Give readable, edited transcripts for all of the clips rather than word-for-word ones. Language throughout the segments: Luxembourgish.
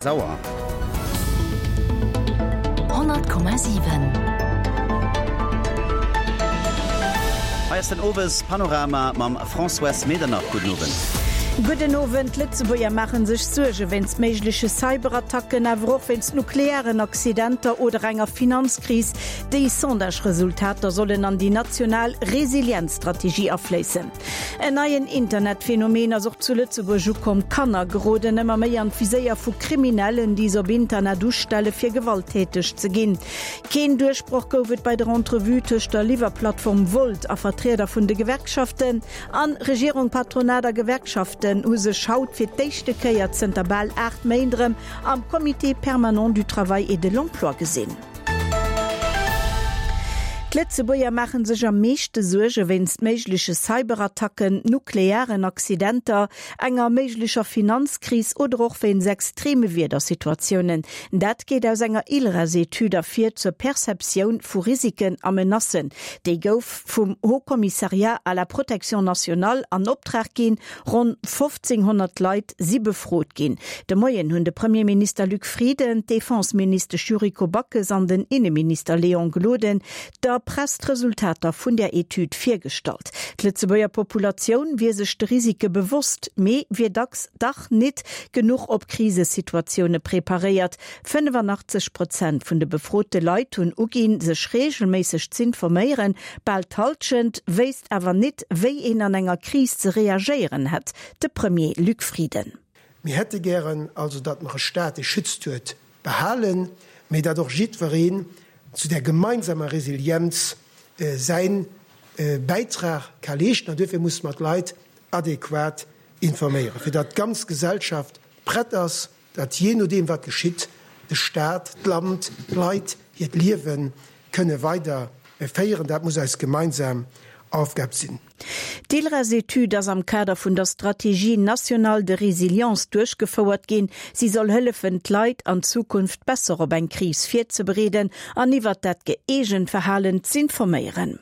Auer. 100,7. Hei ass den Owespanorama mam Françoise Medernach. Gudden Owend. Gudden Owend. D'Lëtzebuerger maache sech Suerge wéinst méigleche Cyberattacken, awer och wéinst nuklearen Accidenter oder enger Finanzkris. Déi Sondage-Resultater sollen an déi national Resilienzstrategie afléissen. En neien Internetphenomen ass och zu Lëtzebuerg ukomm, Kanner geroden ëmmer méi an d'Viséier vu Kriminellen, déi se op Internet ustelle fir gewalttäteg ze ginn. Keen Duerchbroch gouf et bei der Entrevue tëscht der Liwwerplattform Wolt a Vertrieder vun de Gewerkschaften. An Regierung, Patronat a Gewerkschaften hu sech haut fir d'éischte Kéier zënter bal 8 Méint erëm am Comité permanent du travail et de l'emploi gesinn. D'Lëtzebuerger maache sech am meeschte Suerge wéinst méigleche Cyberattacken, nuklearen Accidenter, enger méiglecher Finanzkris oder och wéinst extreme Wiedersituatiounen. Dat geet aus enger ILRAS-Etüd ervir zur Perceptioun vu Risiken a Menacen. Déi gouf vum Haut Commissariat à la protection nationale an Optrag ginn. Ronn 1.500 Leit si befrot ginn. De Moien hunn de Premierminister Luc Frieden, d'Defenseministesch Yuriko Backes an den Inneminister Léon Gloden der Press d'Resultater vun där Etüd virgestallt. D'Lëtzebuerger Populatioun wier sech de Risike bewosst, mee wier dacks dach nit genuch op Krisesituatioune preparéiert. 85 Prozent vun de befrote Leit hunn uginn, sech reegelméisseg z'informéieren. Bal d'Hallschent wéisst awer nit, wéi een an enger Kris ze reagéieren hätt. De Premier Luc Frieden. Mir hätte gären also, datt mer e Staat, dee schützt huet, behalen, mee datt och jiddwereen zu där gemeinsamer Resilienz säi Bäitrag ka leeschten. An duerfir musse mer d'Leit adequat informéieren, fir datt d'ganz Gesellschaft prett ass, datt jee nodeem wat geschitt, de Staat, d'Land, d'Leit hiert Liewe kënne weider féieren. Dat muss eis gemeinsam Aufgab sinn. D'ILRAS-Etüd ass am Kader vun der Stratégie nationale de résilience duerchgefouert ginn. Si soll hëllefen, d'Leit an Zukunft besser op eng Kris virzebereeden an iwwert dat gëeegent Verhalen z'informéieren.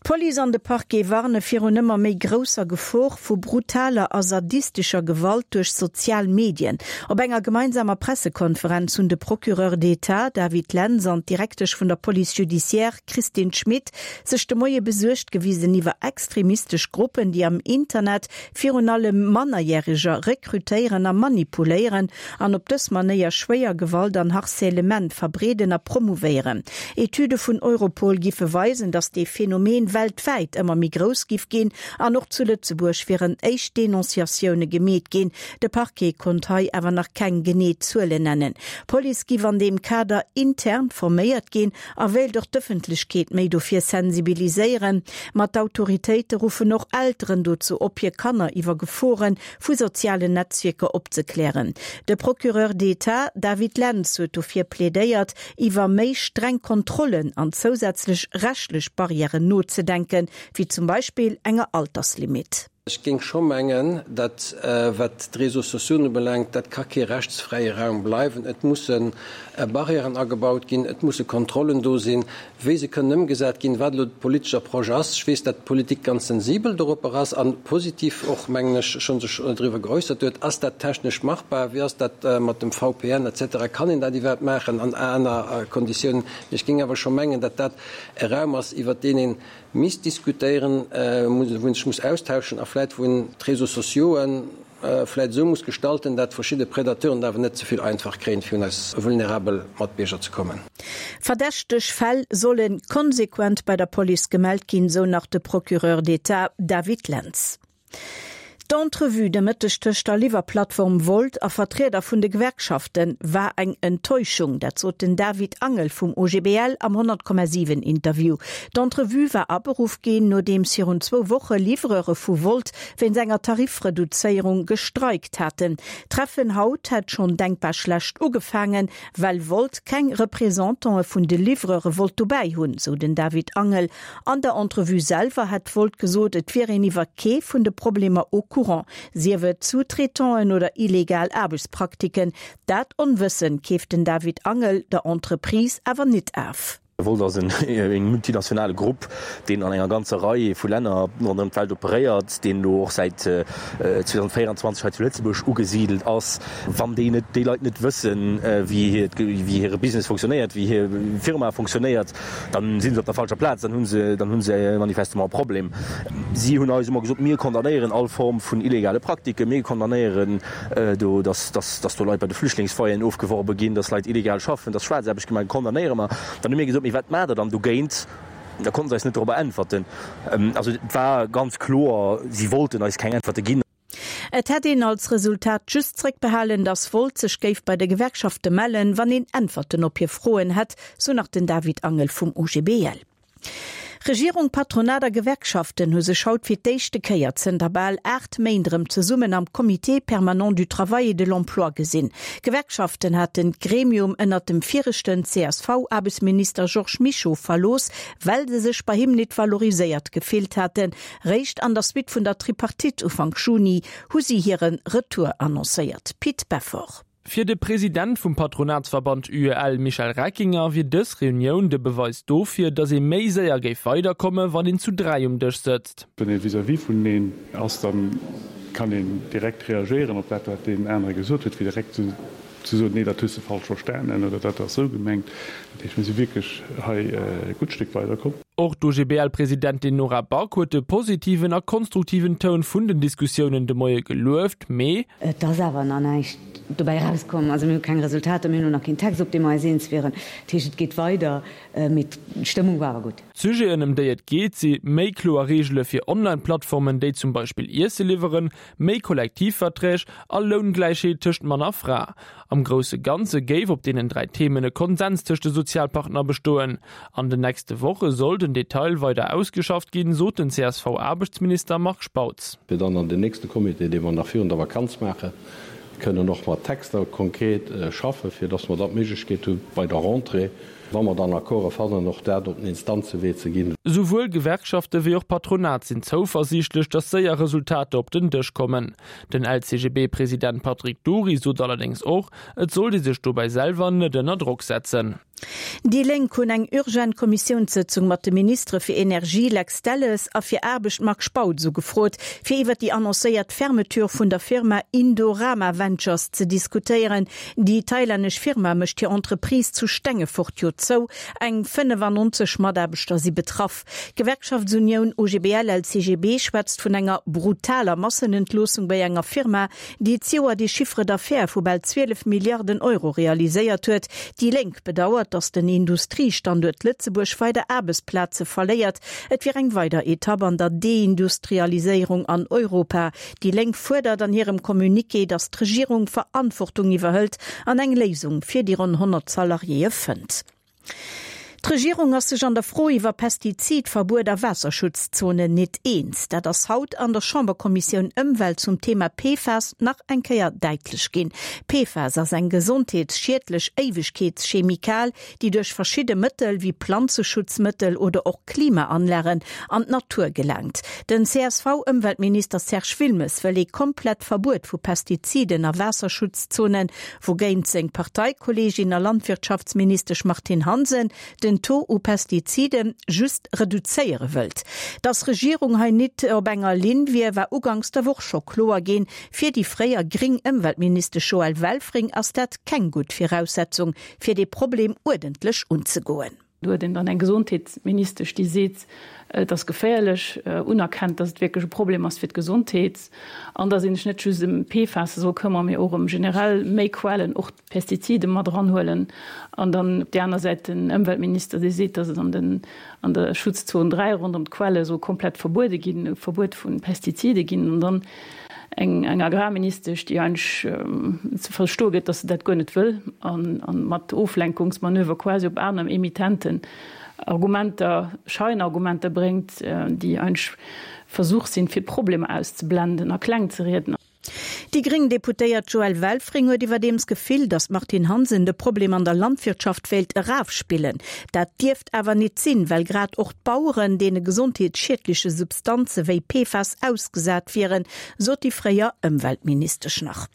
D'Police an de Parquet warne virun ëmmer méi grousser Gefor vu brutaler a sadistescher Gewalt duerch sozial Medien. Op enger gemeinsamer Pressekonferenz hunn de Procureur d'État David Lentz an d'Direktesch vun der Police judiciaire Christine Schmit sech de Moie besuergt gewisen iwwer extremistesch Gruppen, déi am Internet virun allem Mannerjäreger rekrutéieren a manipuléieren an op dës Manéier schwéier Gewalt an Harcèlement verbreeden a promouvéieren. Etüde vun Europol giffe weisen, datt dee Phänomen weltwäit ëmmer méi grouss giff ginn an och zu Lëtzebuerg wieren éischt Denonciatioune gemeet ginn. De Parquet konnt hei awer nach keng genee Zuelen nennen. D'Police giff an deem Kader intern forméiert ginn a wéilt och d'Ëffentlechkeet méi dofir sensibiliséieren. Ma d'Autoritéite ruffen och Elteren dozou op, hir Kanner iwwer Gefore vu sozialen Netzwierker opzeklären. De Procureur d'État David Lentz huet dofir plädéiert, iwwer méi streng Kontrollen an zousätzlech rechtlech Barrièren nozedenken, wéi zum Beispill enger Alterslimit. Ech géing scho mengen, datt, wat d'Réseaux sociaux ubelaangt, dat ka kee rechtsfräie Raum bleiwen. Et musse Barrièren agebaut ginn, et musse Kontrollen do sinn, wéi se kënnen ëmgesat ginn, wat elo d'politesch Approche ass. Ech weess, datt d'Politik ganz sensibel doropper ass a positiv och, mengen ech, scho sech driwwer geäussert huet. Ass dat technesch machbar? Wéi ass dat mat dem VPN et cetera? Kann een dat iwwerhaapt maachen an aner Konditiounen? Mee ech géing awer scho mengen, datt dat e Raum ass, iwwert deen een misst diskutéieren, wou een sech muss austauschen a vläit wou een d'Réseaux sociauxen vläit esou muss gestalten, dat verschidde Predateuren et awer net ze vill einfach kréien, fir un eis vulnerabel Matbierger ze kommen. Verdächteg Fäll solle konsequent bei der Police gemellt ginn, sou nach de Procureur d'État David Lentz. D'Entrevue de Mëtteg tëscht der Liwwerplattform Wolt a Vertrieder vun de Gewerkschafte war eng Enttäuschung. Dat sot den David Angel vum OGBL am 100,7 Interview. D'Entrevue war aberuff ginn, nodeems virun zwou Woche Livreure vu Wolt wéinst enger Tariffreduzéierung gestreikt haten. D'Treffen haut hätt schonn denkbar schlecht ugefaangen, well Wolt keng Representantë vun de Livreure wollt dobäi hunn, sou den David Angel. An der Entrevue selwer hätt Wolt gesot, et wier een iwwer kee vun de Problemer au courant, sief et Sous-traitanten oder illegal Aarbechtspraktiken. Dat Onwëssen keeft den David Angel der Entreprise awer nit af. Wolt ass en multinationale Grupp, deen an enger ganzer Rei vu Länner ronderëm d'Welt operéiert, deen elo och säit 2024 hei zu Lëtzebuerg ugesidelt ass. Wann déi net, déi Leit net wëssen, wéi hiert, wéi hire Business fonctionnéiert, wéi hir Firma fonctionnéiert, dann si se op der falscher Plaz, dann hu se, dann hu se manifestement e Problem. Si hunn eis ëmmer gesot, mir condamnéieren all Form vun illegale Praktiken, mir condamnéieren do, dass, dass, dass do Leit bei de Flüchtlingsfoyeren ofgeworbe ginn, dass Leit illegal schaffen, dass Schwaarzaarbecht gemaach gëtt, condamnéiere mer. Dann hu mir gesot, mee wat maacht Der dann dogéint? Da konnte se eis net dorobber äntwerten. Also et war ganz kloer, si wollten eis keng Äntwerte ginn. Et hätt een als Resultat just zréckbehalen, datt Volt sech géif bei de Gewerkschafte mellen, wann een Äntwerten op hir Froen hätt, sou nach den David Angel vum OGBL. Regierung, Patronat a Gewerkschaften hu sech haut fir d'éischte Kéier zënter bal 8 Méint erëm zesummen am Comité permanent du travail et de l'emploi gesinn. D'Gewerkschaften haten d'Gremium ënnert dem viregten CSV-Aarbechtsminister Georges Mischo verlooss, well se sech bei him nit valoriséiert gefillt haten. Réischt an der Suite vun der Tripartite Ufank Juni hu si hire Retour annoncéiert. Pit Beffort. Fir de President vum Patronatsverband UEL Michel Reckinger wier dës Reunioun de Beweis dofir, datt ee méi séier géif weiderkomme wann een zu 3 um Dësch sëtzt. Wann ee vis-à-vis vuneneen ass, da kann een direkt reagéieren op dat, wat deen anere gesot huet, wéi direkt ze soen, nee, dat hues de falsch verstanen oder dat ass esou gemengt. Dat heescht, mir si wierklech hei e gutt Stéck weiderkomm. Och d'OGBL-Presidentin Nora Back huet de positiven a konstruktiven Toun vun den Diskussiounen de Moie gelueft, mee. Et ass awer nach näischt dobäi erauskomm. Also mir hu keng Resultater, mir hunn elo nach keen Text, op dee mer eis eens wieren. Dat heescht, et geet weider, mee d'Stëmmung war awer gutt. D'Sujeten, ëm déi et geet, si méi kloer Reegele fir Online-Plattformen, déi zum Beispill Iesse liwweren, méi Kollektivverträg a Loungläichheet tëscht Mann a Fra. Am grousse Ganze géif op deenen 3 Themen e Konsens tëscht de Sozialpartner bestoen. An den nächste Woche soll den Detail weider ausgeschafft ginn, sot den CSV-Aarbechtsminister Marc Spautz. Fir dann an den nächste Comité, dee mer nach virun der Vakanz maachen, kënnen och mat Texter konkret schaffen, fir dass mer dann d'Méiglechkeet hu bei der Rentrée, Wa mer dann Accorde fannen, och dat op den Instanzewee ze ginn. Souwuel Gewerkschafte wéi och Patronat sinn zouversiichtlech, datt séier Resultater op den Dësch kommen. Den LCGB-President Patrick Dury sot allerdéngs och, et sollt ee sech dobäi selwer net ënner Drock setzen. Déi Lénk hunn eng urgent Kommissiounssëtzung mat de Ministere fir Energie Lex Delles a fir Aarbecht Marc Spautz ugefrot, fir iwwer déi annoncéiert Fermeture vun der Firma Indorama Ventures ze diskutéieren, Déi thailännesch Firma mécht hir Entreprise zu Stengefort jo zou. Eng 95 Mataarbechter si betraff. D'Gewerkschaftsunioun OGBL-LCGB schwätzt vun enger brutaler Massenentloossung bei enger Firma, déi d'Joer dee Chiffre d'affaires vu bal 12 Milliarden Euro realiséiert huet. Déi Lénk bedauert, datt den Industriestanduert Lëtzebuerg weider Aarbechtsplaze verléiert. Et wier eng weider Etapp an der Deindustrialiséierung an Europa. Déi Lénk fuerdert an hirem Communiqué, datt d'Regierung Verantwortung iwwerhëlt an eng Léisung fir déi ronn 100 Salariéë fënnt. D'Regierung ass sech an der Fro iwwer Pestizidverbuet a Waasserschutzzonen nit eens. Dat ass haut an der Chamberkommissioun Ëmwelt zum Thema PFAS nach eng Kéier däitlech ginn. PFAS ass eng gesondheetsschiedlech Éiwegkeetschemikal, déi duerch verschidde Mëttel wéi Planzeschutzmëttel oder och Klimaanlagen an d'Natur gelaangt. Den CSV-Ëmweltminister Serge Wilmes wëll ee komplett Verbuet vu Pestiziden a Waasserschutzzonen, wougéint seng Parteikolleegin a Landwirtschaftsministesch Martine Hansen den Taux u Pestizide just reduzéiere wëllt. Datt Regierung hei nit op enger Linn wier, war uganks der Woch scho kloer ginn. Fir déi fréier gréng Ëmweltministesch Joëlle Welfring ass dat keng gutt Viraussetzung, fir dee Problem uerdentlech unzegoen. Do huet een dann eng Gesondheetsministesch, déi seet, et ass geféierlech, unerkennt, datt et wierklech e Problem ass fir d'Gesondheet an datt een sech net just ëm PFAS soll këmmern, mee och ëm generell méi Quellen, och d'Pestizide mat eranhuelen. An dann op där aner Säit den Ëmweltminister, dee seet, datt et an den, an der Schutzzon 3 ronderëm d'Quelle soll komplett verbuede ginn, e Verbuet vu Pestizide ginn. An dann eng Agrarministesch, déi eigentlech ze verstoe gëtt, datt se dat guer net wëll a mat Oflenkungsmanöver quasi op aner Emittenten Argumenter, Scheinargumenter bréngt, déi eigentlech Versuch sinn, fir Problemer auszeblenden a kleng ze rieden. Déi gréng Deputéiert Joëlle Welfring huet iwwerdeems d'Gefill, datt d'Martine Hansen de Problem an der Landwirtschaft wéilt erafspillen. Dat dierft awer nit sinn, well grad och d'Baueren deene gesondheetsschiedleche Substanze wéi PFAS ausgesat wieren, sot déi fréier Ëmweltministesch nach.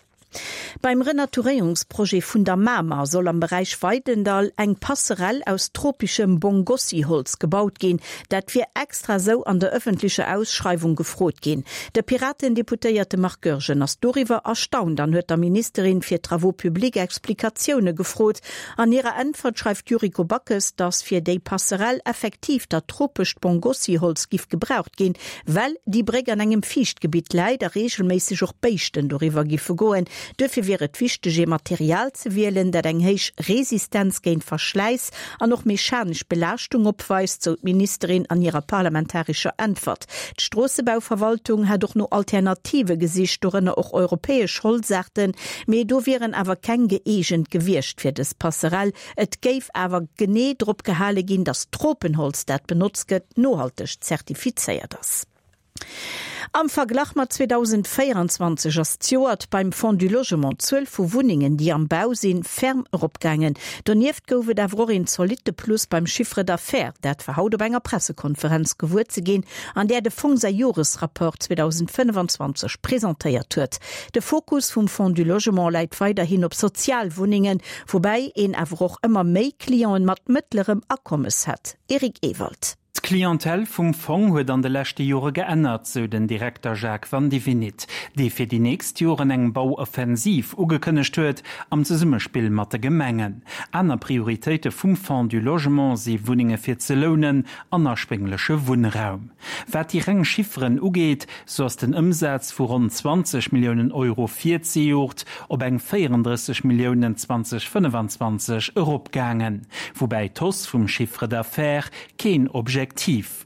Beim Renaturéierungsprojet vun der Mamer soll am Beräich Weidendall eng Passerell aus tropeschem Bongossi-Holz gebaut ginn. Dat wier extra sou an der ëffentlecher Ausschreiwung gefrot ginn. De Piraten-Deputéierte Marc Goergen ass doriwwer erstaunt an huet der Ministerin fir Travaux publics Explikatioune gefrot. An hirer Äntwert schreift d'Yuriko Backes, datt fir déi Passerell effektiv dat tropescht Bongossi-Holz giff gebraucht ginn, well déi Bréck an engem Fiichtgebitt läit a reegelméisseg och Béischten doriwwer giffe goen. Duerfir wier et wichteg, ee Material ze wielen, dat eng héich Resistenz géint Verschläiss an och mechanesch Belaaschtung opweist, sou d'Ministerin an hirer parlamentarescher Äntwert. D'Stroossebauverwaltung hätt och no Alternative gesicht, dorënner och europäesch Holzaarten, mee do wieren awer keng gëeegent gewiescht fir dës Passerell. Et géif awer genee drop gehale ginn, datt d'Tropenholz, dat benotzt gëtt, nohalteg zertifizéiert ass. Am Verglach mat 2024 ass zejoert beim Fonds du Logement d'Zuel vu Wunnengen, déi am Bau sinn, ferm eropgaangen. Donieft gouf et awer och een zolitte Plus beim Chiffre d'affaires. Dat war haut op enger Pressekonferenz gewuer ze ginn, an där de Fong säi Joresrapport 2025 presentéiert huet. De Fokus vum Fonds du Logement läit weiderhin op Sozialwunnengen, Woubäi een awer och ëmmer méi Clienten mat mëttlerem Akommes hätt. Eric Ewald. D'Clientèle vum Fong huet an de leschte Jore geännert, sou den Direkter Jacques Vandivinit, dee fir déi nächst Joren eng Bauoffensiv ugekënnegt huet, am Zesummespill mat de Gemengen. Aner Prioritéite vum Fonds du Logement si Wunnenge fir ze lounen an erschwéngleche Wunnraum. Wat déi reng Chifferen ugeet, sou ass den Ëmsaz vu ronn 20 Milliounen Euro virzejoert op eng 34 Milliounen 2025 eropgaangen, woubäi d'Hausse vum Chiffre d'affaires keen Objektiv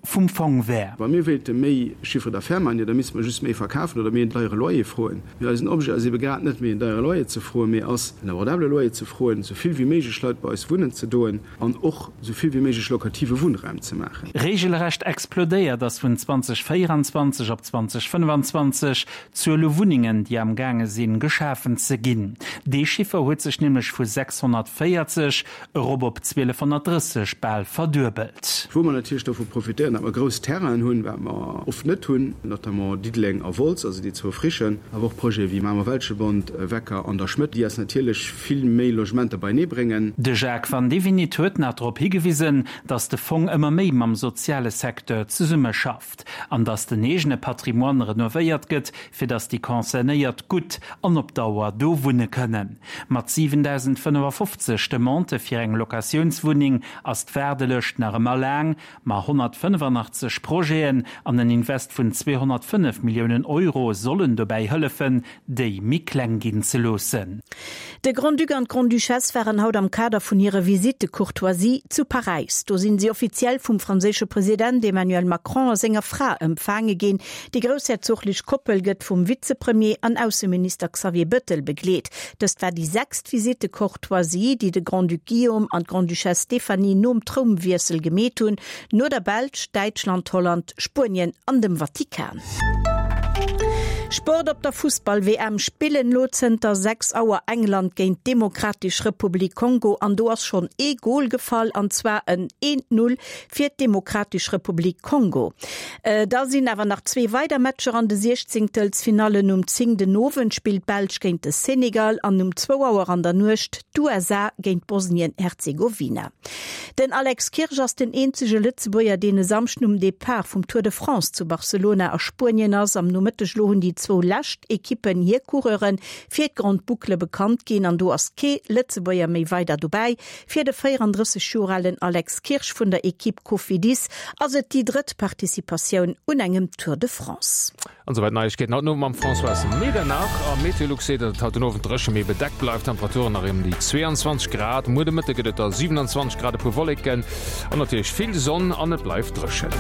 vum Fong wär. Wa mir wéilte méi Chiffre d'affaires maachen, jo da misste mer just méi verkafen oder méi en deiere Loyer froen. Mee eisen Objet ass ebe grad net méi en deiere Loyer ze froen, mee ass en abordabele Loyer ze froen, esou vill wéi méiglech Leit bei eis wunnen ze doen. An och esou vill wéi méiglech lokative Wunnraum ze maachen. Regelrecht explodéiert ass vun 2024 op 2025 d'Zuel u Wunnengen, déi am gaange sinn, geschafen ze ginn. Dee Chiffer huet sech nämlech vu 640 erop op 1230 bal verduebelt. Wou mer natierlech dovu profitéieren, datt mer grouss Terrainen hunn, wat mer oft net hunn, notamment Diddeleng a Wolz, also déi zwou Frichen, awer och Projete wéi Mamer-Welschebond, Wecker an der Schmëtt, déi eis natierlech vill méi Logementer beienee bréngen. De Jacques Vandivinit huet nach drop higewisen, datt de Fong ëmmer méi mam soziale Secteur zesummeschafft an datt den eegene Patrimoine renovéiert gëtt, fir datt déi Concernéiert gutt an op Dauer do wunne kënnen. Mat 7.055 Demandë fir eng Locatiounswunneng ass d'Waardelëscht nach ëmmer laang, ma 185 Projeten an en Invest vun 205 Milliounen Euro sollen dobäi hëllefen, déi méi kleng ginn ze loossen. De Grand-Duc an d'Grande-Duchesse waren haut am Kader vun hirer Visite de courtoisie zu Paräis. Do sinn si offiziell vum franséische President Emmanuel Macron a senger Fra empfaange ginn. Déi groussherzoglech Koppel gëtt vum Vizepremier an Ausseminister Xavier Bettel begleet. Dëst war déi sechst Visite de courtoisie, déi de Grand-Duc Guillaume an d'Grande-Duchesse Stéphanie nom Trounwiessel gemeet hunn, no der Belsch, Däitschland, Holland, Spuenien an dem Vatikan. Sport Op der Fussball-WM spillen lo zënter 6 Auer England géint d'Demokratesch Republik Kongo an do ass schonn ee Gol gefall an zwar en 1, 0 fir d'Demokratesch Republik Kongo. Da sinn awer nach zwee weider Matcher an de Siechzéngtelsfinallen. Um 10 den Owend spillt d'Belsch géint de Senegal an um zwou Auer an der Nuecht d'USA géint Bosnien-Herzegowina. Den Alex Kirsch ass den eenzege Lëtzebuerger, deen e Samschden um Depart vum Tour de France zu Barcelona a Spuenien ass. Am Nomëtteg elo hunn déi zwou lescht Ekippen hir Coureure fir d'Grande Boucle bekannt ginn an do ass kee Lëtzebuerger méi weider dobäi. Fir de 34 Joer alen Alex Kirsch vun der Ekipp Cofidis ass et déi drëtt Participatioun un engem Tour de France. An souwäit Neiegkeeten haut den Owend mam Françoise Medernach. A Meteolux seet, datt et haut den Owend dréche mee bedeckt bleift. Temperaturen nach ëm déi 22 Grad. Muer de Mëtte gëtt et da 27 Grad, e puer Wolleken an natierlech vill Sonn an et bleift dréchen.